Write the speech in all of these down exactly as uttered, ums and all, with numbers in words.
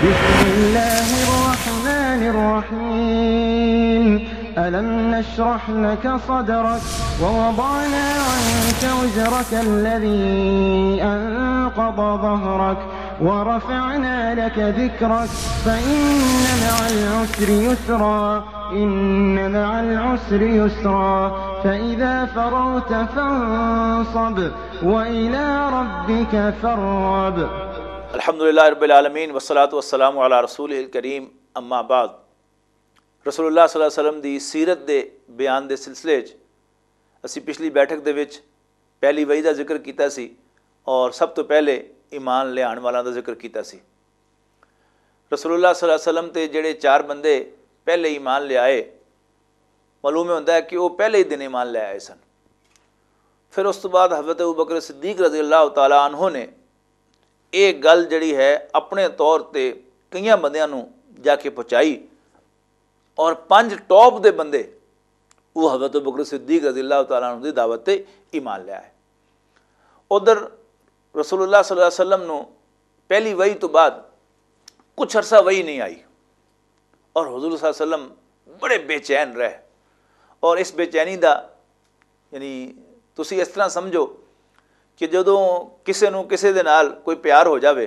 بسم الله الرحمن الرحيم. ألم نشرح لك صدرك ووضعنا عنك وزرك الذي أنقض ظهرك ورفعنا لك ذكرك فإن مع العسر يسرا. إن مع العسر يسرا. فإذا فرغت فانصب وإلى ربك فارغب. الحمدللہ رب العالمین، والصلاة والسلام علی رسولہ الکریم، اما بعد۔ رسول اللہ صلی اللہ علیہ وسلم دی سیرت دے بیان دے سلسلے وچ اسی پچھلی بیٹھک دے وچ پہلی وحی دا ذکر کیتا سی اور سب تو پہلے ایمان لیان والاں دا ذکر کیتا سی۔ رسول اللہ صلی اللہ علیہ وسلم تے جڑے چار بندے پہلے ایمان لے آئے، معلوم ہوندا ہے کہ وہ پہلے ہی دن ایمان لے آئے سن۔ پھر اس تو بعد حضرت ابو بکر صدیق رضی اللہ تعالیٰ عنہ نے یہ گل جڑی ہے اپنے طور تے کئیاں بندیاں نوں جا کے پہنچائی، اور پنج ٹاپ دے بندے وہ حضرت ابو بکر صدیق رضی اللہ تعالیٰ عنہ دی دعوت تے ایمان لے آئے۔ ادھر رسول اللہ صلی اللہ علیہ وسلم نوں پہلی وحی تو بعد کچھ عرصہ وحی نہیں آئی، اور حضور صلی اللہ علیہ وسلم بڑے بے چین رہے۔ اور اس بے چینی دا، یعنی، تسی اس طرح سمجھو کہ جدوں کسے نوں کسے دے نال کوئی پیار ہو جاوے،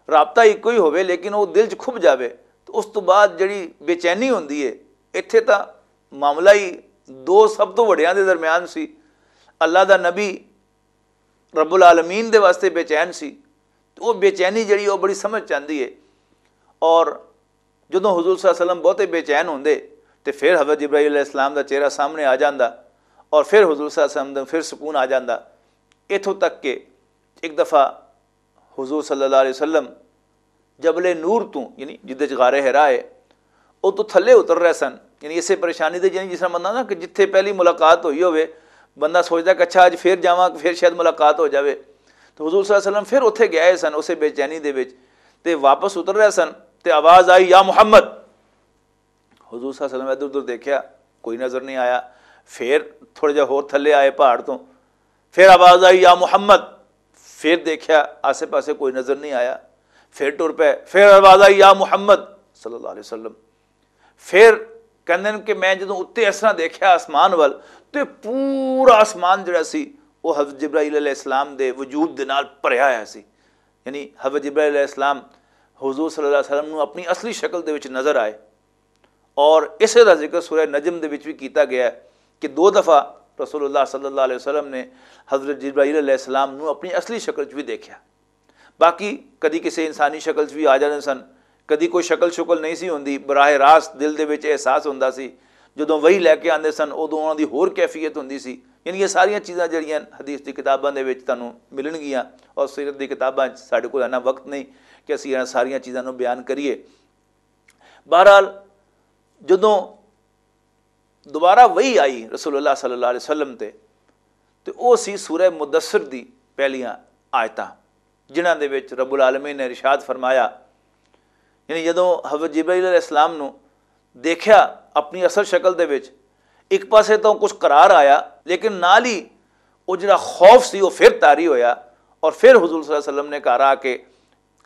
رابطہ ایکو ہی ہووے لیکن وہ دل چ کھب جاوے، تو اس تو بعد جڑی بے چینی ہوندی ہے، اتھے تاں معاملہ ہی دو سب تو وڈیاں دے درمیان سی، اللہ دا نبی رب العالمین دے واسطے بے چین سی۔ تو وہ بے چینی جڑی، وہ بڑی سمجھ چاندی ہے۔ اور جدوں حضور صلی اللہ علیہ وسلم بہتے بے چین ہوندے، تے پھر حضرت جبرائیل علیہ السلام دا چہرہ سامنے آ جاندا، اور پھر حضور صلی اللہ علیہ وسلم دا پھر سکون آ جاندا۔ اتھوں تک کہ ایک دفعہ حضور صلی اللہ علیہ وسلم جبل نور تو، یعنی جدے چ غار حرا ہے، او تو تھلے اتر رہے سن۔ یعنی اسے پریشانی دے، یعنی جس طرح بندہ نا کہ جتھے پہلی ملاقات ہوئی ہوئے، بندہ سوچدا کہ اچھا، اج پھر جاواں، پھر شاید ملاقات ہو جاوے۔ تو حضور صلی اللہ علیہ وسلم پھر اتھے گئے سن، اسے بے چینی دے وچ، تے واپس اتر رہے سن، تے آواز آئی، "یا محمد۔" حضور صلی اللہ علیہ وسلم ادھر ادھر دیکھیا، کوئی نظر نہیں آیا۔ پھر تھوڑا جہا ہور تھلے آئے پہاڑ تو، پھر آواز آئی، "یا محمد۔" پھر دیکھیا، آسے پاسے کوئی نظر نہیں آیا۔ پھر ٹر پے، پھر آواز آئی، "یا محمد صلی اللہ علیہ وسلم۔" پھر کہندے نے کہ میں جدوں اُتے اس طرح دیکھیا آسمان ول، تے پورا آسمان جڑا سی، وہ حضرت جبرائیل علیہ السلام دے وجود دے نال بھریا ہویا سی۔ یعنی حضرت جبرائیل علیہ السلام حضور صلی اللہ علیہ وسلم نوں اپنی اصلی شکل دے وچ نظر آئے۔ اور اسے دا ذکر سورہ نجم دے وچ بھی کیتا گیا ہے کہ دو دفعہ رسول اللہ صلی اللہ علیہ وسلم نے حضرت جبرائیل علیہ السلام نوں اپنی اصلی شکل وچ بھی دیکھیا۔ باقی کدی کسی انسانی شکل وچ بھی آ جاندے سن، کدی کوئی شکل شکل نہیں سی ہوندی، براہ راست دل دے وچ احساس ہوندا سی۔ جدوں وحی لے کے آندے سن، ادوں انہاں دی ہور کیفیت ہوندی سی۔ یعنی یہ ساریاں چیزاں جڑیاں حدیث دی کتاباں دے وچ تانوں ملن گیاں، اور سیرت دی کتاباں وچ ساڈے کول اینا وقت نہیں کہ اسی انہاں ساریاں چیزاں نوں بیان کریے۔ بہرحال، جدوں دوبارہ وحی آئی رسول اللہ صلی اللہ علیہ وسلم تے، تے او سی سورہ مدثر دی پہلیاں آیتاں، جنہاں دے وچ رب العالمین نے ارشاد فرمایا، یعنی جدوں حضرت جبرائیل علیہ السلام نو دیکھیا اپنی اصل شکل دے وچ، ایک پاسے تو کچھ قرار آیا، لیکن نال ہی او جڑا خوف سی، او پھر طاری ہویا، اور پھر حضور صلی اللہ علیہ وسلم نے گھر آ کے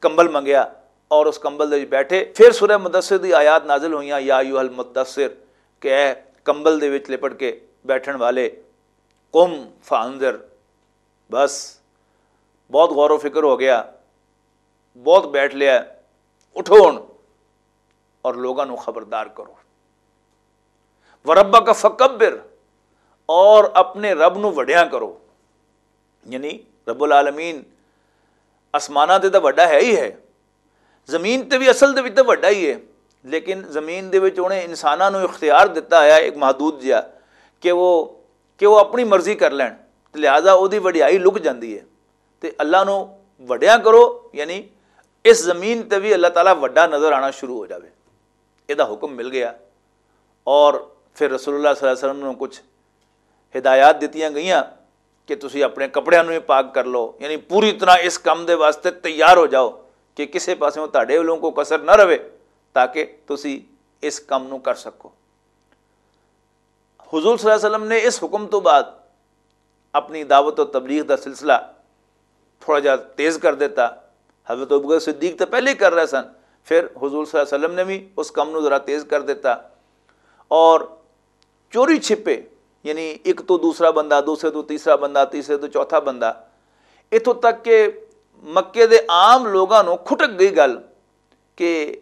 کمبل منگیا اور اس کمبل دے وچ بیٹھے۔ پھر سورہ مدثر دی آیات نازل ہوئیاں، "یا ایھا المدثر"، کہ اے کمبل دے وچ لپٹ کے بیٹھن والے، "قم فانذر"، بس، بہت غور و فکر ہو گیا، بہت بیٹھ لیا، اٹھو ہن اور لوگاں نو خبردار کرو۔ "وربک فکبر"، اور اپنے رب نو وڈیاں کرو۔ یعنی رب العالمین آسماناں تے تاں وڈا ہے ہی ہے، زمین تے بھی اصل دے وچ تاں وڈا ہی ہے، لیکن زمین دے وچ انہیں انساناں نو اختیار دتا ہے ایک محدود جہا کہ وہ، کہ وہ اپنی مرضی کر لین، تے لہذا او دی وڈیائی لک جاندی ہے۔ تے اللہ نو وڈیاں کرو، یعنی اس زمین تے بھی اللہ تعالیٰ وڈا نظر آنا شروع ہو جاوے۔ اے دا حکم مل گیا۔ اور پھر رسول اللہ صلی اللہ علیہ وسلم نو کچھ ہدایات دتیاں گئیاں کہ تسی اپنے کپڑیاں نوں ہی پاک کر لو، یعنی پوری طرح اس کم دے واسطے تیار ہو جاؤ کہ کسے پاسوں تہاڈے ولوں کوئی کسر نہ رہے، تاکہ تسی اس کم نوں کر سکو۔ حضور صلی اللہ علیہ وسلم نے اس حکم تو بعد اپنی دعوت و تبلیغ دا سلسلہ تھوڑا جہا تیز کر دیتا۔ حضرت ابوبکر صدیق تے پہلے ہی کر رہے سن، پھر حضور صلی اللہ علیہ وسلم نے بھی اس کم نو ذرا تیز کر دیتا، اور چوری چھپے، یعنی ایک تو دوسرا بندہ، دوسرے تو تیسرا بندہ، تیسرے تو چوتھا بندہ، اتھوں تک کہ مکے دے عام لوگاں نو کھٹک گئی گل کہ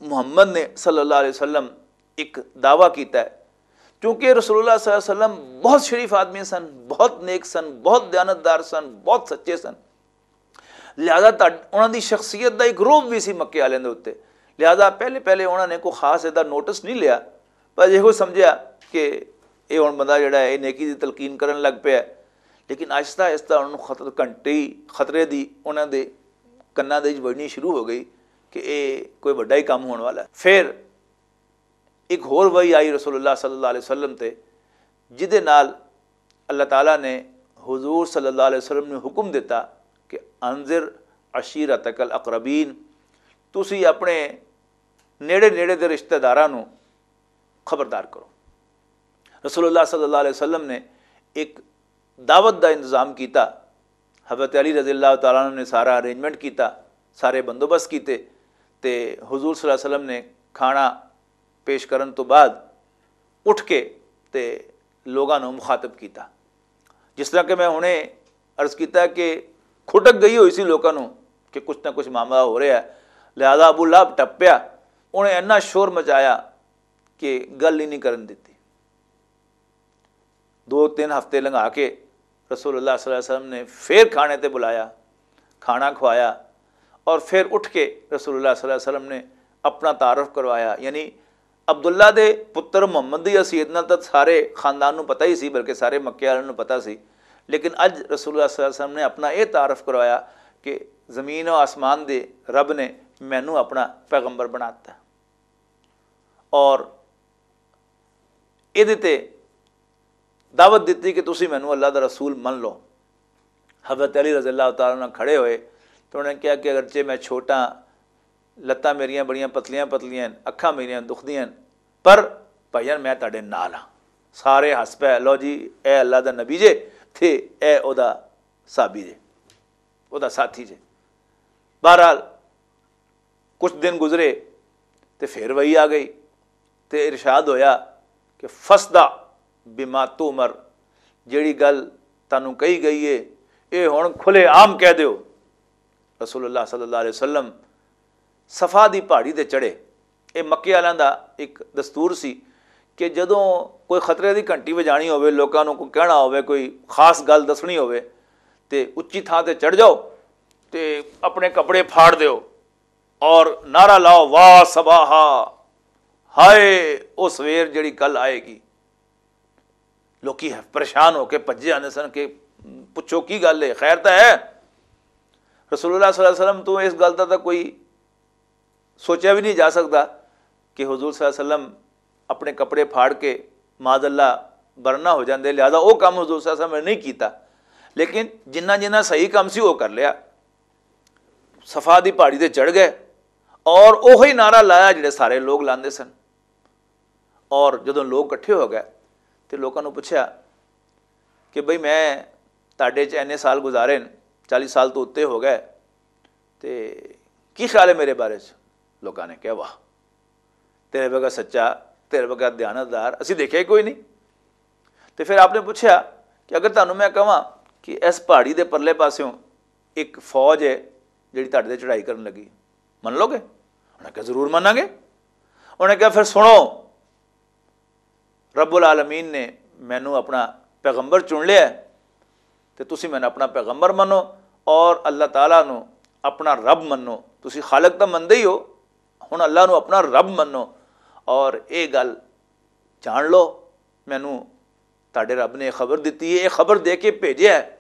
محمد نے صلی اللہ علیہ وسلم ایک دعویٰ کیتا ہے۔ کیونکہ رسول اللہ صلی اللہ علیہ وسلم بہت شریف آدمی سن، بہت نیک سن، بہت دیانتدار سن، بہت سچے سن، لہذا تہاڈ- انہاں دی شخصیت دا ایک روب بھی سی مکے والے دے اتنے۔ لہذا پہلے پہلے انہاں نے کوئی خاص ایدا نوٹس نہیں لیا، پر یہ سمجھیا کہ یہ ہن بندہ جڑا ہے یہ نیکی دی تلقین کرن لگ پیا ہے۔ لیکن آہستہ آہستہ انہاں نوں خطر گھنٹی خطرے دی انہاں دے کناں دے وچ وجنی شروع ہو گئی کہ یہ کوئی وڈا ہی کام ہون والا ہے۔ پھر ایک ہور وحی آئی رسول اللہ صلی اللہ علیہ وسلم تے، جدے نال اللہ تعالیٰ نے حضور صلی اللہ علیہ وسلم نے حکم دیتا کہ انذر عشیرتک الاقربین، تسی اپنے نیڑے نیڑے دے رشتہ داراں نوں خبردار کرو۔ رسول اللہ صلی اللہ علیہ وسلم نے ایک دعوت دا انتظام کیتا۔ حضرت علی رضی اللہ تعالیٰ عنہ نے سارا ارینجمنٹ کیتا، سارے بندوبست کیتے، تے حضور صلی اللہ علیہ وسلم نے کھانا پیش کرن تو بعد اٹھ کے تے لوگاں نوں مخاطب کیتا۔ جس طرح کہ میں ہنے عرض کیتا کہ کھٹک گئی ہوئی سی لوکاں نوں کہ کچھ نہ کچھ معاملہ ہو رہا ہے، لہذا ابو لہب ٹپیا، انہیں اینا شور مچایا کہ گل ہی نہیں کرن دتی۔ دو تین ہفتے لنگھا کے رسول اللہ صلی اللہ علیہ وسلم نے پھر کھانے تے بلایا، کھانا کھوایا، اور پھر اٹھ کے رسول اللہ صلی اللہ علیہ وسلم نے اپنا تعارف کروایا۔ یعنی عبداللہ دے پتر محمد دی حیثیت نال تاں سارے خاندان نوں پتہ ہی سی، بلکہ سارے مکے والوں نوں پتہ سی۔ لیکن اج رسول اللہ صلی اللہ علیہ وسلم نے اپنا یہ تعارف کروایا کہ زمین و آسمان دے رب نے مینوں اپنا پیغمبر بناتا ہے۔ اور ایہدے تے دعوت دتی کہ تسی مینوں اللہ دا رسول من لو۔ حضرت علی رضی اللہ تعالیٰ عنہ کھڑے ہوئے تو انہوں نے کہا کہ اگرچہ میں چھوٹا، لتاں میریاں بڑیاں پتلیاں پتلیاں ہن، اکھاں میریاں دکھدیاں ہن، پر بھائیان میں تہاڈے نال ہاں۔ سارے ہس پے، لو جی، اے اللہ دا نبی جے، تے اے او دا صحابی جے، او دا ساتھی جے۔ بہرحال، کچھ دن گزرے تے پھر وہی آ گئی تے ارشاد ہویا کہ فسدا بما تومر، جیڑی گل تانوں کہی گئی ہے، اے ہن کھلے عام کہہ دیو۔ رسول اللہ صلی اللہ علیہ وسلم صفا دی پہاڑی تے چڑھے۔ اے مکے والیاں دا ایک دستور سی کہ جدوں کوئی خطرے دی گھنٹی وجانی ہووے، لوکاں نوں کوئی کہنا ہووے، کوئی خاص گل دسنی ہووے، تے اچی تھاں تے چڑھ جاؤ تے اپنے کپڑے پھاڑ دیو اور نعرہ لاؤ، "واہ صباحا، ہائے او سویر جڑی کل آئے گی۔" لوکی پریشان ہو کے بھجے آندے سن کہ پچھو کی گل ہے، خیر تاں ہے؟ رسول اللہ صلی اللہ علیہ وسلم تو اس گل دا تاں کوئی سوچیا بھی نہیں جا سکدا کہ حضور صلی اللہ علیہ وسلم اپنے کپڑے پھاڑ کے معاذ اللہ برنا ہو جاندے، لہذا وہ کام حضور صلی اللہ علیہ وسلم نے نہیں کیتا۔ لیکن جنہ جنہ صحیح کام سی وہ کر لیا۔ صفا دی پہاڑی تے چڑھ گئے اور اوہی نعرہ لایا جڑے سارے لوگ لاندے سن۔ اور جدوں لوگ اکٹھے ہو گئے تے لوکاں نوں پچھیا کہ بھئی، میں تہاڈے چ اینے سال گزارے نے، چالیس سال تو اتے ہو گئے، تے کی خیال ہے میرے بارے چ؟ لوکاں نے کہا، "واہ، تیرے ورگا سچا، تیرے ورگا دیانتدار اسی دیکھیا ہی کوئی نہیں۔" تے پھر آپ نے پوچھا کہ اگر تانوں میں کہاں کہ اس پہاڑی دے پرلے پاسوں ایک فوج ہے جڑی تہاڈے تے چڑھائی کرن لگی، من لو گے؟ انہاں نے کہا، "ضرور مناں گے۔" انہاں نے کہا، "پھر سنو، رب العالمین نے مینوں اپنا پیغمبر چن لیا ہے، تے تسی مینوں اپنا پیغمبر منو اور اللہ تعالیٰ نو اپنا رب منو۔ تسی خالق تاں مندے ہی ہو، ہن اللہ نو اپنا رب منو اور اے گل جان لو، مینوں تہاڈے رب نے یہ خبر دتی ہے، یہ خبر دے کے بھیجیا ہے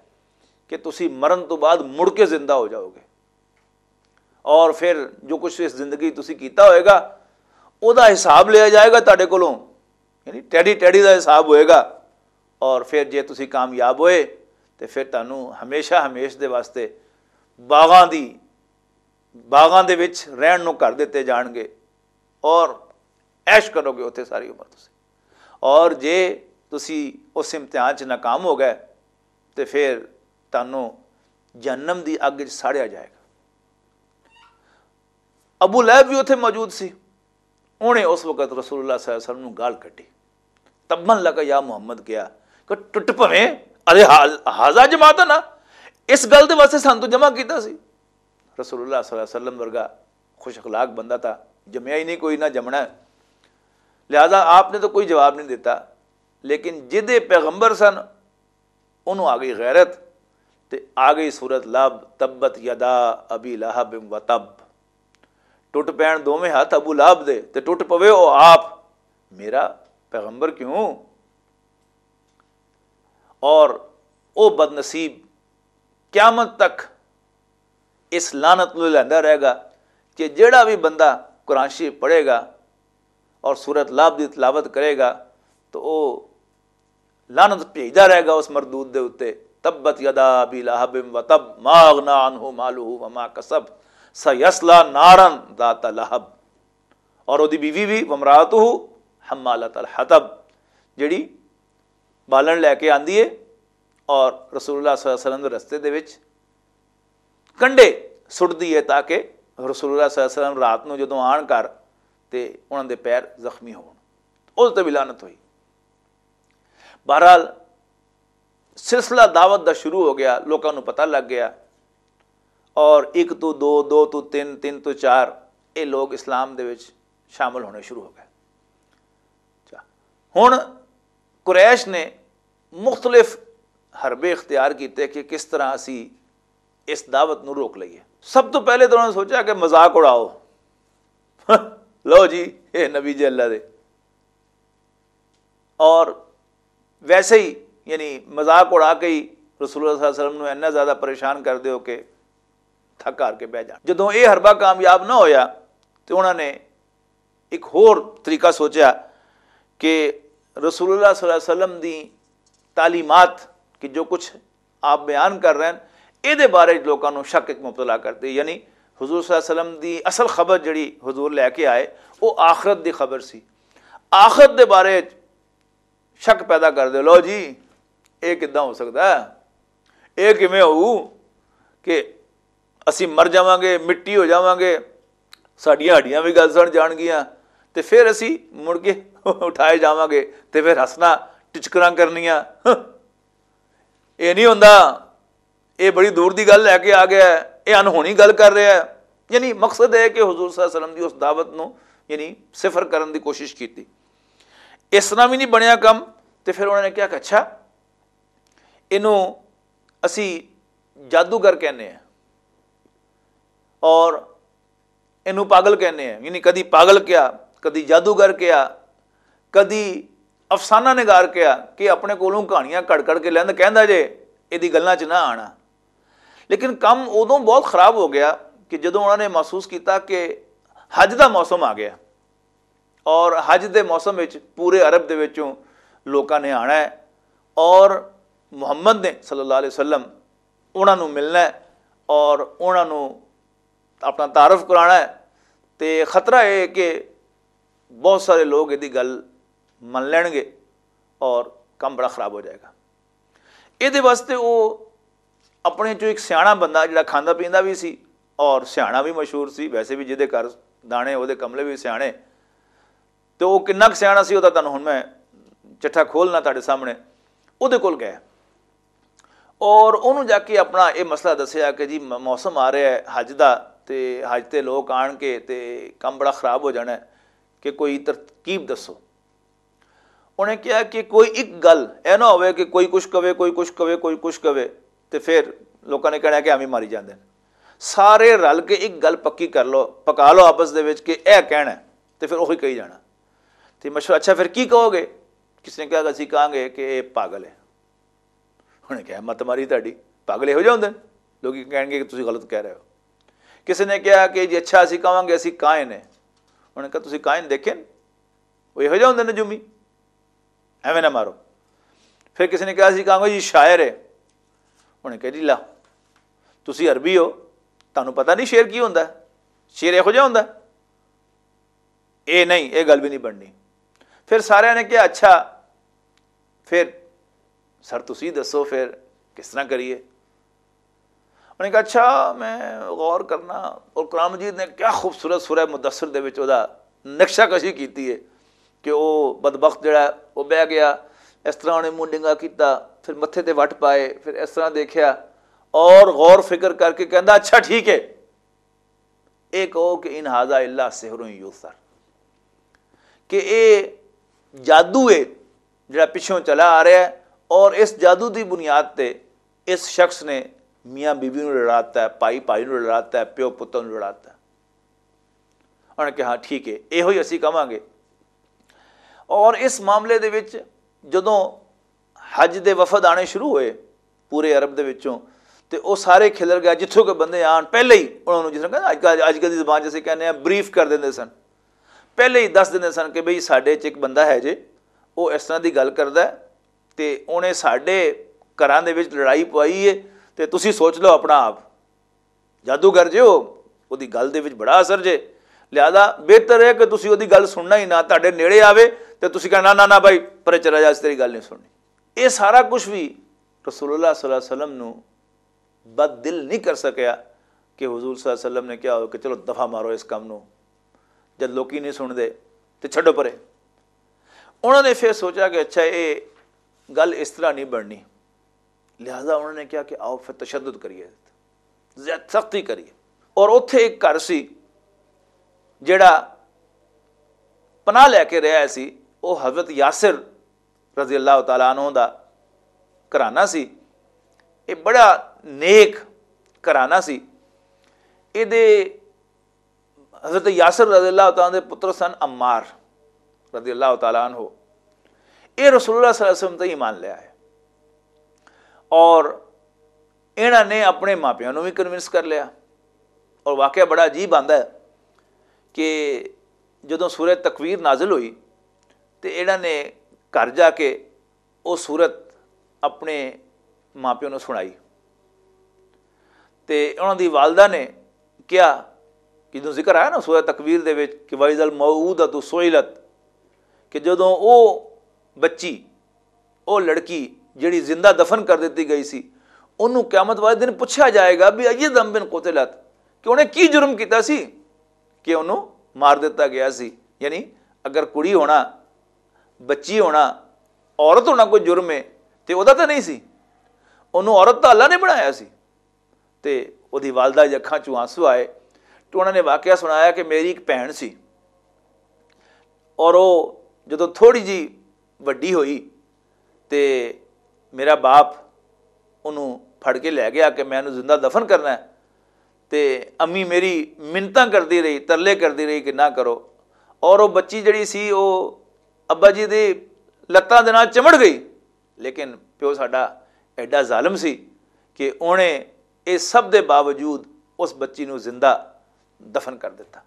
کہ تسی مرن تو بعد مڑ کے زندہ ہو جاؤ گے۔" اور پھر جو کچھ اس زندگی تسی کیتا ہوئے گا، او دا حساب لیا جائے گا تہاڈے کولوں، یعنی ٹیڈی ٹیڈی دا حساب ہوئے گا۔ اور پھر جے تسی کامیاب ہوئے تے پھر تانوں ہمیشہ ہمیش دے واسطے باغاں دی، باغاں دے وچ رہن نوں گھر دتے جان گے اور عیش کرو گے اتھے ساری عمر تسی۔ اور جے تسی اس امتحان چ ناکام ہو گئے تے پھر تانوں جہنم دی اگ وچ ساڑیا جائے گا۔ ابو لہب بھی اتھے موجود سی۔ انہیں اس وقت رسول اللہ صلی اللہ علیہ وسلم نوں گال کٹی۔ "تبا لک یا محمد" کہیا کہ ٹٹ پویں، ارے حاض-، حاضہ جماعت نا، اس گل دے واسطے سانوں تو جمع کیتا سی۔ رسول اللہ صلی اللہ علیہ وسلم ورگا خوش اخلاق بندہ تھا، جمیا ہی نہیں کوئی، نہ جمنا ہے۔ لہذا آپ نے تو کوئی جواب نہیں دیتا، لیکن جدے پیغمبر سن، انہوں آ گئی غیرت، تے آ گئی صورت لب، "تبت یدا ابی لہب و تب"۔ ٹوٹ پین دوویں ہاتھ ابو لہب دے، تے ٹوٹ پوے او آپ۔ میرا پیغمبر کیوں؟ اور او بد نصیب قیامت تک اس لعنت نوں لیندا رہے گا کہ جیڑا بھی بندہ قرآن شریف پڑھے گا اور سورت لہب دی تلاوت کرے گا، تو او لعنت بھیجدا رہے گا اس مردود دے اُتے۔ "تبت یدا ابی لہب و تب، ما اغنی عنہ مالہ وما کسب، سیصلی نارا ذات لہب۔" اور اودی بیوی بھی، "وامرأتہ حمالۃ الحطب"، جڑی بالن لے کے آندی ہے اور رسول اللہ صلی اللہ علیہ وسلم دے رستے دے وچ کنڈے سٹدی ہے، تاکہ رسول اللہ صلی اللہ علیہ وسلم رات نوں جدوں آن کر تے انہاں دے پیر زخمی ہون۔ اس تے بھی لعنت ہوئی۔ بہرحال، سلسلہ دعوت دا شروع ہو گیا، لوکاں نوں پتہ لگ گیا، اور ایک تو دو، دو تو تین، تین تو چار، یہ لوگ اسلام دے وچ شامل ہونے شروع ہو گئے۔ اچھا، ہن قریش نے مختلف حربے اختیار کیتے کہ کس طرح اسی اس دعوت نوں روک لئیے۔ سب تو پہلے تو انہوں نے سوچا کہ مذاق اڑاؤ، لو جی، اے نبی جی اللہ دے۔ اور ویسے ہی، یعنی، مذاق اڑا کے ہی رسول اللہ صلی اللہ علیہ وسلم نوں اتنا زیادہ پریشان کر دیو کہ تھک ہار کے بہ جان۔ جدوں یہ حربہ کامیاب نہ ہویا، تو انہوں نے ایک ہور طریقہ سوچا کہ رسول اللہ صلی اللہ علیہ وسلم دی تعلیمات، کہ جو کچھ آپ بیان کر رہے ہیں، اے دے بارے وچ لوکاں نوں شک وچ مبتلا کر دے۔ یعنی حضور صلی اللہ علیہ وسلم دی اصل خبر جڑی حضور لے کے آئے، وہ آخرت دی خبر سی۔ آخرت دے بارے وچ شک پیدا کر دے، "لو جی، اے کداں ہو سکدا ہے؟ اے کیویں ہوؤ کہ اسی مر جاواں گے، مٹی ہو جاواں گے، ساڈیاں ہڈیاں وی گل سڑ جان گیاں، تے پھر اسی مڑ کے اٹھائے جاواں گے، تے پھر ہسنا، ٹچکراں کرنیاں۔" اے نہیں ہوندا، اے بڑی دور دی گل لے کے آ گیا ہے، اے انہونی گل کر رہا ہے۔ یعنی مقصد ہے کہ حضور صلی اللہ علیہ وسلم دی اس دعوت نو، یعنی، صفر کرن دی کوشش کیتی۔ اس طرح بھی نہیں بنیا کم۔ تے پھر انہوں نے کہا کہ اچھا، اینوں اسی جادوگر کہنے ہیں اور اینوں پاگل کہنے ہیں۔ یعنی کدی پاگل کیا، کدی جادوگر کیا، کدی افسانہ نگار کیا کہ اپنے کولوں کہانیاں کڑ کڑ کے لیند کہندا جے، ایدی گلاں چ نہ آنا۔ لیکن کم ادوں بہت خراب ہو گیا کہ جدوں انہوں نے محسوس کیتا کہ حج دا موسم آ گیا اور حج دے موسم وچ پورے عرب دے وچوں لوکاں نے آنا ہے اور محمد نے صلی اللہ علیہ وسلم انہاں نوں ملنا ہے اور انہاں نوں اپنا تعارف کرانا ہے۔ تے خطرہ یہ ہے کہ بہت سارے لوگ ایدی گل من لین گے اور کم بڑا خراب ہو جائے گا۔ ایدے واسطے وہ اپنے چوں ایک سیاح بندہ جڑا کھانا پیندا بھی سی اور سیاح بھی مشہور سی، ویسے بھی جہدے گھر دانے، وہ کملے بھی سیاح۔ تو وہ کنا سیاح سی، وہ تمہیں ہوں میں چٹھا کھولنا تھوڑے سامنے۔ وہ کول گئے اور انہوں جا کے اپنا یہ مسئلہ دسیا کہ جی، موسم آ رہا ہے حج دا، تے حج تے لوگ آن کے تے کم بڑا خراب ہو جانا ہے، کہ کوئی ترکیب دسو۔ انہیں کہا کہ کوئی ایک گل اے نہ ہوئے کہ کوئی کچھ کہے، کوئی کچھ کہے، کوئی کچھ کہے، تے پھر لوکاں نے کہنا کہ ایویں ماری جاندے نے۔ سارے رل کے ایک گل پکی کر لو، پکا لو آپس دے وچ کہ اے کہنا ہے، تے پھر وہی کہی جانا۔ تے مشورہ، اچھا، پھر کی کہو گے؟ کس نے کہا کہ اسی کہاں گے کہ اے پاگل ہے۔ انہیں کہا، "مت ماری تہاڈی، پاگل یہو جہے ہوندے نے۔" لوکی کہن گے کہ تسی غلط کہہ رہے ہو۔ کسی نے کہا کہ جی اچھا، اسی کہاں گے اسی کائن ہے۔ انہیں کہا، "تسی کائن دیکھے نے؟ وہ یہو جہے ہوندے نے نجومی، ایویں نہ مارو۔" پھر کسی نے کہا، "اسی کہاں گے جی شاعر ہے۔" انہیں کہا، "جی لا، تسی عربی ہو، تانوں پتہ نہیں شعر کی ہوندا ہے؟ شعر یہو جہا ہوندا ہے؟ اے نہیں، اے گل بھی نہیں بننی۔" پھر سارے نے کہا، "اچھا، پھر سر تسی دسو پھر کس طرح کریے؟" انہوں نے کہا، "اچھا، میں غور کرنا۔" اور قرآن مجید نے کیا خوبصورت سورہ مدثر دے وچ او دا نقشہ کشی کیتی ہے کہ او بدبخت جڑا ہے، او بہ گیا، اس طرح انہیں منہ ڈنگا کیتا، پھر متھے تے وٹ پائے، پھر اس طرح دیکھیا اور غور فکر کر کے کہندا، "اچھا، ٹھیک ہے، اے کہو کہ ان ھذا الا سحر یؤثر، کہ اے جادو ہے جڑا پچھوں چلا آ رہا ہے، اور اس جادو دی بنیاد تے اس شخص نے میاں بیوی نوں لڑاتا ہے، بھائی بھائی نوں لڑاتا ہے، پیو پتر نوں لڑاتا ہے۔" انہوں نے کہا، "ہاں، ٹھیک ہے، ایہو ہی اسی کہواں گے۔" اور اس معاملے دے وچ جدوں حج دے وفد آنے شروع ہوئے پورے عرب دے وچوں، تے او سارے کھلر گئے، جتھوں کوئی بندے آن، پہلے ہی انہاں نوں، جس طرح کہندے اج کل، اج کل دی زبان جیسے کہنے ہیں، بریف کر دیندے سن۔ پہلے ہی دس دیندے سن کہ بھئی، ساڈے چ ایک بندہ ہے جے، او اس طرح دی گل کردا ہے، تے اونے ساڈے گھراں دے وچ لڑائی پوائی ہے، تے تسی سوچ لو اپنا آپ۔ جادوگر جے ہو، اودی گل دے وچ بڑا اثر جے، لہذا بہتر ہے کہ تسی اودی گل سننا ہی نہ، تہاڈے نیڑے آوے تے تسی کہنا، "نہ، نہ، نہ بھائی، پرے چلا جا، اس تیری گل نہیں سننی۔" یہ سارا کچھ بھی رسول اللہ صلی اللہ علیہ وسلم نو بد دل نہیں کر سکیا کہ حضور صلی اللہ علیہ وسلم نے کہا ہو کہ چلو دفعہ مارو اس کام نو، جد لوکی نہیں سن دے تے چھڈو پرے۔ انہوں نے پھر سوچا کہ اچھا، یہ گل اس طرح نہیں بننی، لہذا انہوں نے کہا کہ آؤ پھر تشدد کریے، زیادہ سختی کریے۔ اور اتھے ایک گھر سی جڑا پناہ لے کے رہیا سی، وہ حضرت یاسر رضی اللہ تعالیٰ عنہ دا گھرانہ سی۔ یہ بڑا نیک گھرانہ سی۔ یہ حضرت یاسر رضی اللہ تعالیٰ عنہ دے پتر سن عمار رضی اللہ تعالیٰ عنہ۔ یہ رسول اللہ صلی اللہ علیہ وسلم تے ایمان لے آئے اور انہاں نے اپنے ماپیاں نوں بھی کنونس کر لیا۔ اور واقعہ بڑا عجیب آندا ہے کہ جدوں سورہ تکویر نازل ہوئی تے انہاں نے گھر جا کے وہ سورت اپنے ماپیوں نوں سنائی۔ تے انہاں دی والدہ نے کہا، جدوں ذکر آیا نا سورہ تکویر دے وچ کہ "وَإِذَا الْمَوْءُودَةُ سُئِلَتْ"، کہ جدوں او بچی، او لڑکی جڑی زندہ دفن کر دتی گئی سی، انہوں قیامت والے دن پوچھا جائے گا بھی "أَيِّ ذَنبٍ قُتِلَتْ"، کہ انہیں کی جرم کیتا سی کہ انہوں مار دتا گیا سی۔ یعنی اگر کڑی ہونا، بچی ہونا، عورت ہونا کوئی جرم ہے تے او دا تے نہیں سی، انہوں عورت دا اللہ نے بنایا سی۔ تے او دی والدہ دی اکھاں چوں آنسو آئے۔ تو انہوں نے واقعہ سنایا کہ میری ایک بہن سی اور او جدوں تھوڑی جی وڈی ہوئی تے میرا باپ انہوں پھڑ کے لے گیا کہ میں انہوں زندہ دفن کرنا ہے۔ تے امی میری منتاں کردی رہی، ترلے کردی رہی کہ نہ کرو۔ اور وہ بچی جڑی سی، وہ ابا جی دی لتاں دے نال چمڑ گئی۔ لیکن پیو ساڈا ایڈا ظالم سی کہ اونے اس سب دے باوجود اس بچی نوں زندہ دفن کر دتا۔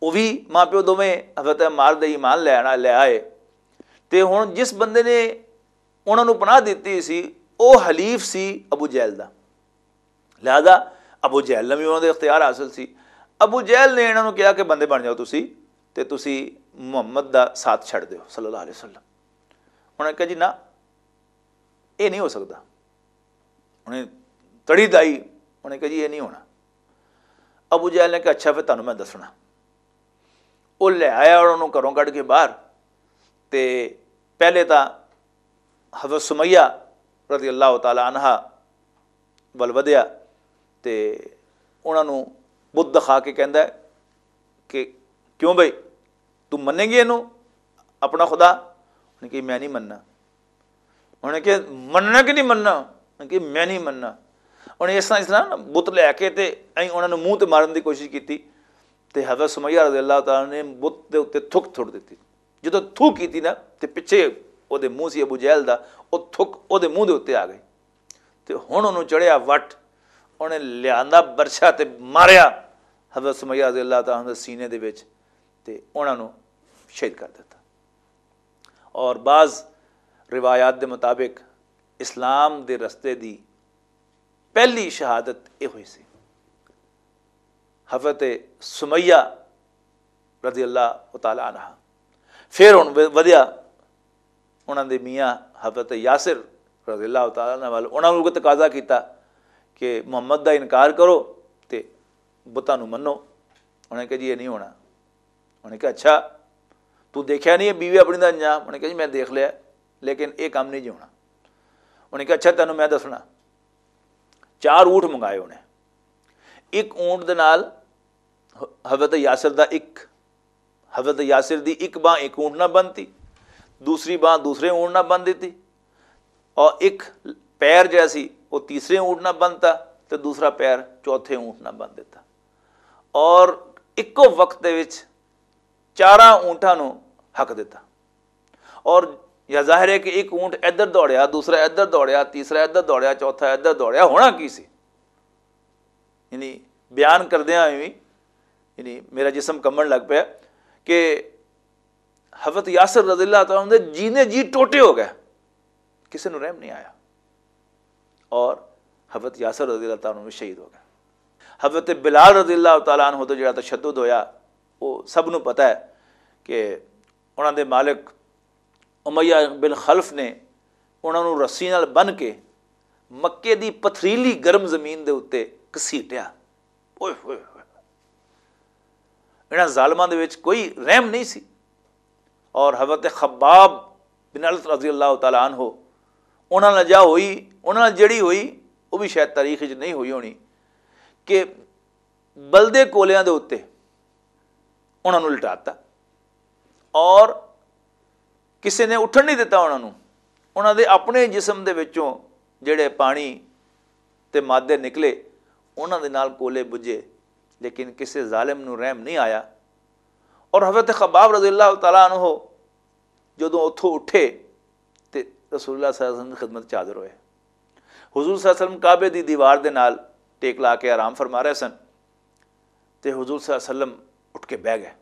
وہ بھی ماں پیو دوویں حضرت عمار دے ایمان لے آنا، لے آئے۔ تے ہن جس بندے نے انہاں نوں پناہ دتی سی، او حلیف سی ابو جہل دا۔ لہذا ابو جہل نے بھی انہاں دے اختیار حاصل سی۔ ابو جہل نے انہاں نوں کہا کہ بندے بن جاؤ تسی، تے تسی محمد دا ساتھ چھڈ دیو صلی اللہ علیہ وسلم۔ انہاں نے کہا، "جی نہ، اے نہیں ہو سکدا۔" انہیں تڑی دائی، انہیں کہا، "جی اے نہیں ہونا۔" ابو جہل نے کہا، "اچھا، پھر تانوں میں دسنا۔" وہ لے آیا اور انہوں گھروں کڈ کے باہر، تے پہلے تاں حضرت سمیہ رضی اللہ تعالی عنہا ول ودیا تے انہاں نوں بت دکھا کے کہندا ہے کہ، "کیوں بھائی، تو منیں گے اینوں اپنا خدا؟" انہیں کہا، "میں نہیں مننا۔" انہیں کہا، "مننا کہ نہیں مننا؟" انہیں کہا، "میں نہیں مننا۔" انہیں اس طرح، اس طرح نا بت لے کے تے ایں انہاں نوں منہ تے مارن دی کوشش کیتی تے حضرت سمیہ رضی اللہ تعالیٰ نے بت دے اُتے تھک تھوڑ دتی۔ جدوں تھو کیتی نا، تے پچھے او دے منہ سی ابو جہل دا، او تھک او دے منہ دے اُتے آ گئی۔ تے ہن اونوں چڑھیا وٹ، اونے لیاندا برچھا تے ماریا حضرت سمیہ رضی اللہ تعالیٰ عنہ دے سینے دے وچ، تے انہاں نوں شہید کر دتا۔ اور بعض روایات دے مطابق اسلام دے رستے دی پہلی شہادت یہ ہوئی سی۔ حضرت سمیہ رضی اللہ تعالیٰ عنہ، پھر ہن و-، ودیا انہاں دے میاں حضرت یاسر رضی اللہ تعالیٰ عنہ وال، انہاں نوں تقاضا کیتا کہ محمد دا انکار کرو تے بتاں نوں منو۔ انہاں نے کہا، "جی، یہ نہیں ہونا۔" انہاں نے کہا، "اچھا، تو دیکھیا نہیں ہے بیوی اپنی دا انجام؟" انہاں نے کہا، "جی، میں دیکھ لیا، لیکن یہ کام نہیں جی ہونا۔" انہاں نے کہا، "اچھا، تینوں میں دسنا۔" چار اونٹ منگائے انہیں۔ ایک اونٹ دے نال حضرت یاسر دا ایک، حضرت یاسر دی ایک باں ایک اونٹ نہ بنتی، دوسری باں دوسرے اونٹ نہ بن دیتی، اور ایک پیر جڑا سی وہ تیسرے اونٹ نہ بنتا، تے دوسرا پیر چوتھے اونٹ نہ بن دیتا۔ اور اکو وقت دے وچ چاراں اونٹاں نوں حق دیتا۔ اور یا ظاہر ہے کہ ایک اونٹ ادھر دوڑیا، دوسرا ادھر دوڑیا، تیسرا ادھر دوڑیا، چوتھا ادھر دوڑیا، ہونا کی سی؟ یعنی بیان کردیاں ہوئے بھی، یعنی میرا جسم کمبن لگ پیا کہ حضرت یاسر رضی اللہ تعالیٰ عنہ دے جینے جی ٹوٹے ہو گئے، کسی نوں رحم نہیں آیا۔ اور حضرت یاسر رضی اللہ تعالیٰ عنہ بھی شہید ہو گئے۔ حضرت بلال رضی اللہ تعالیٰ عنہ تو جڑا تشدد ہویا، وہ سب نوں پتہ ہے کہ انہاں دے مالک امیہ بن خلف نے انہاں نوں رسی نال بن کے مکے دی پتھریلی گرم زمین دے اُتے گھسیٹیا۔ اوئے ہوئے ہوئے۔ انہاں ظالماں دے وچ کوئی رحم نہیں سی۔ اور حضرت خباب بن الارت رضی اللہ تعالیٰ عنہ، انہاں نال جا ہوئی، انہاں نال جڑی ہوئی، وہ بھی شاید تاریخ وچ نہیں ہوئی ہونی، کہ بلدے کولیاں دے اُتے انہاں نوں لٹاتا اور کسے نے اٹھن نہیں دتا انہاں نوں۔ انہاں دے اپنے جسم دے وچوں جڑے پانی تے مادے نکلے، انہاں دے نال کولے بجھے، لیکن کسے ظالم نوں رحم نہیں آیا۔ اور حضرت خباب رضی اللہ تعالیٰ عنہ جدوں اتھوں اٹھے تے رسول اللہ صلی اللہ علیہ وسلم دی خدمت چ حاضر ہوئے۔ حضور صلی اللہ علیہ وسلم کعبے دی دیوار دے نال ٹیک لا کے آرام فرما رہے سن، تے حضور صلی اللہ علیہ وسلم اٹھ کے بہ گئے۔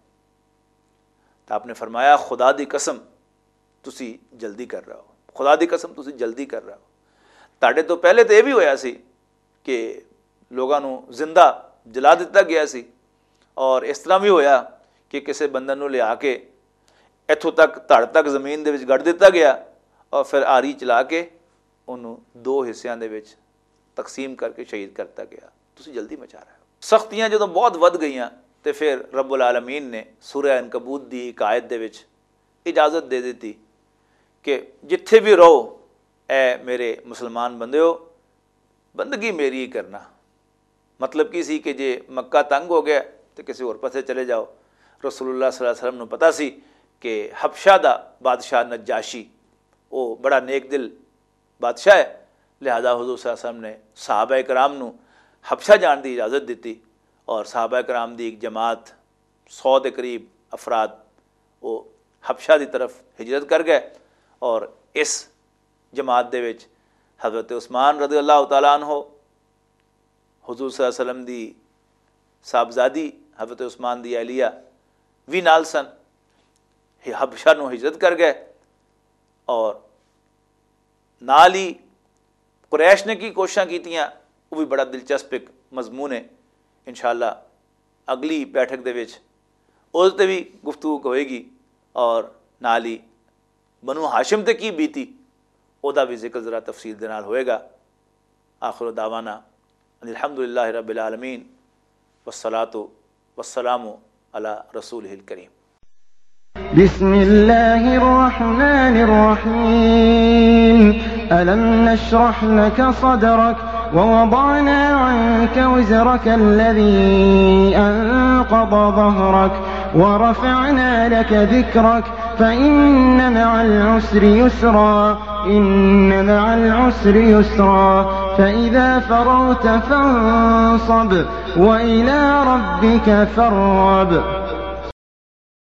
تو آپ نے فرمایا، "خدا دی قسم، تسی جلدی کر رہے ہو، خدا دی قسم، تسی جلدی کر رہے ہو۔" تہاڈے تو پہلے تو یہ بھی ہویا سی کہ لوگاں نوں زندہ جلا دتا گیا سی، اور اس طرح بھی ہویا کہ کسی بندے نوں لیا کے اتھوں تک، دھڑ تک زمین دے وچ گڑ دتا گیا، اور پھر آری چلا کے انہوں دو حصیاں دے وچ تقسیم کر کے شہید کرتا گیا۔ تسی جلدی مچا رہے ہو۔ سختیاں جدوں بہت ودھ گئیاں، تے پھر رب العالمین نے سورہ عنکبوت دی ایک آیت دے وچ اجازت دے دتی کہ جتھے بھی رہو، اے میرے مسلمان بندیو، بندگی میری ہی کرنا۔ مطلب کی سی کہ جے مکہ تنگ ہو گیا تو کسی اور پاسے چلے جاؤ۔ رسول اللہ صلی اللہ علیہ وسلم نو پتا سی کہ حبشہ دا بادشاہ نجاشی، وہ بڑا نیک دل بادشاہ ہے، لہذا حضور صلی اللہ علیہ وسلم نے صحابہ کرام نو حبشہ جان دی اجازت دتی، اور صحابہ کرام دی ایک جماعت، سو دے قریب افراد، وہ حبشہ دی طرف ہجرت کر گئے، اور اس جماعت دے وچ حضرت عثمان رضی اللہ تعالیٰ عنہ، حضور صلی اللہ علیہ وسلم دی صاحبزادی حضرت عثمان دی اہلیہ وی نال سن، حبشہ نو ہجرت کر گئے، اور نال ہی قریش نے کی کوششاں کیتیاں، وہ بھی بڑا دلچسپ ایک مضمون ہے۔ انشاءاللہ اگلی بیٹھک دے وچ اس تے بھی گفتگو ہوئے گی، اور نال ہی بنو ہاشم تے کی بیتی، او دا بھی ذکر ذرا تفصیل دے نال ہوئے گا۔ آخر دعوانا ان الحمدللہ رب العالمین، والصلاة والسلام علی رسولہ الکریم۔ بسم الله الرحمن الرحيم. ألم نشرح لك صدرك ووضعنا عنك وزرك الذي أنقض ظهرك ورفعنا لك ذكرك فإن مع العسر يسرا، إن مع العسر يسرا، فإذا فرغت فانصب وإلى ربك فارغب.